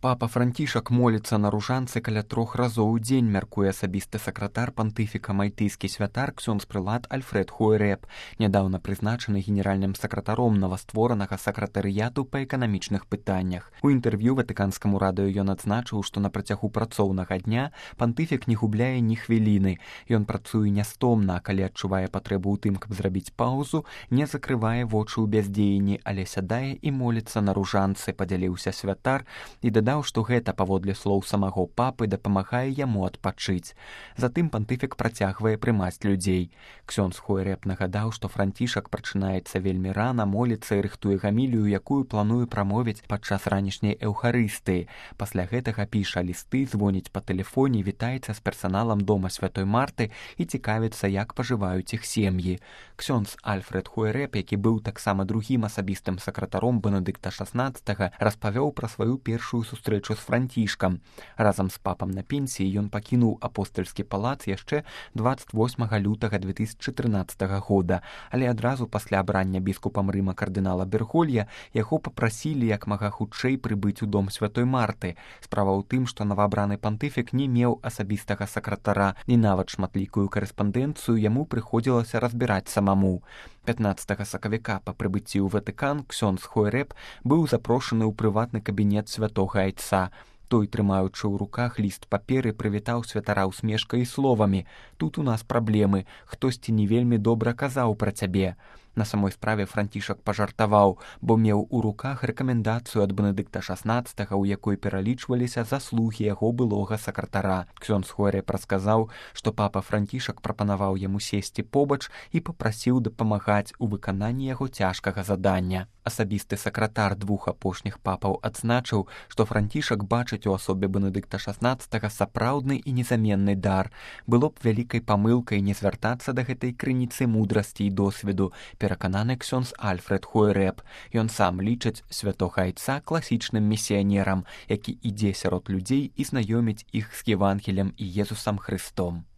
Папа Францішак моліцца на ружанцы каля 3 разоў у дзень, мяркуе асабісты сакратар пантыфіка мальтыйскі святар ксёндз прылад Альфред Хуэрэп, нядаўна прызначаны генеральным сакратаром новастворанага сакратарыяту па эканамічных пытаннях. У інтэрв'ю ватыканскаму радыё ён адзначыў, што на працягу працоўнага дня пантыфік не губляе ні хвіліны. Ён працуе нястомна, а калі адчувае патрэбу ў тым, каб зрабіць паўзу, не закрывае вочы ў бяздзеянні, але сядае і моліцца на ружанцы, падзяліўся святар і дадаў, што гэта, паводле слоў самого папы, дапамагае яму адпачыць. Затым пантыфік працягвае прымаць людзей. Ксёндз Хуэрэп нагадаў, што Францішак прачынаецца вельмі рана, моліцца і рыхтуе гамілію, якую плануе прамовіць падчас ранішняй эўхарыстыі. Пасля гэтага піша лісты, звоніць па тэлефоне, вітаецца з персаналам дома Святой Марты і цікавіцца, як пажываюць іх сем'і. Ксёндз Альфред Хуэрэп, які быў таксама другім асабістым сакратаром Бенедыкта XVI, распавёў пра сваю першую сустрэчу з Францішкам. Разам з папам на пенсіі ён пакінуў апостальскі палац яшчэ 28 лютага 2013 года, але адразу пасля абрання біскупам Рыма кардынала Берголья яго папрасілі як мага хутчэй прыбыць у дом Святой Марты. Справа ў тым, што новаабраны пантыфік не меў асабістага сакратара, і нават шматлікую карэспандэнцыю яму прыходзілася разбіраць самому. 15 сакавіка па прыбыцці ў Ватыкан ксёндз Хуэрэп быў запрошаны ў прыватны кабінет святога айца. Той, трымаючы ў руках ліст паперы, прывітаў святара усмешкай і словамі: «Тут у нас праблемы, хтосьці не вельмі добра казаў пра цябе». На самой справе Францішак пажартаваў, бо меў у руках рэкамендацыю ад Бенедыкта XVI, у якой пералічваліся заслугі яго былога сакратара. Ксёндз Хуэрэп расказаў, што папа Францішак прапанаваў яму сесці побач і папрасіў дапамагаць у выкананні яго цяжкага задання. Асабісты сакратар двух апошніх папаў адзначыў, што Францішак бачыць у асобе Бенедыкта XVI сапраўдны і незаменны дар. Было б вялікай памылкай не звяртацца да гэтай крыніцы мудрасці і досведу, перакананы ксёндз Альфред Хуэрэп. Ён сам лічыць святога айца класічным місіянерам, які ідзе сярод людзей і знаёміць іх з Евангелем і Езусам Хрыстом.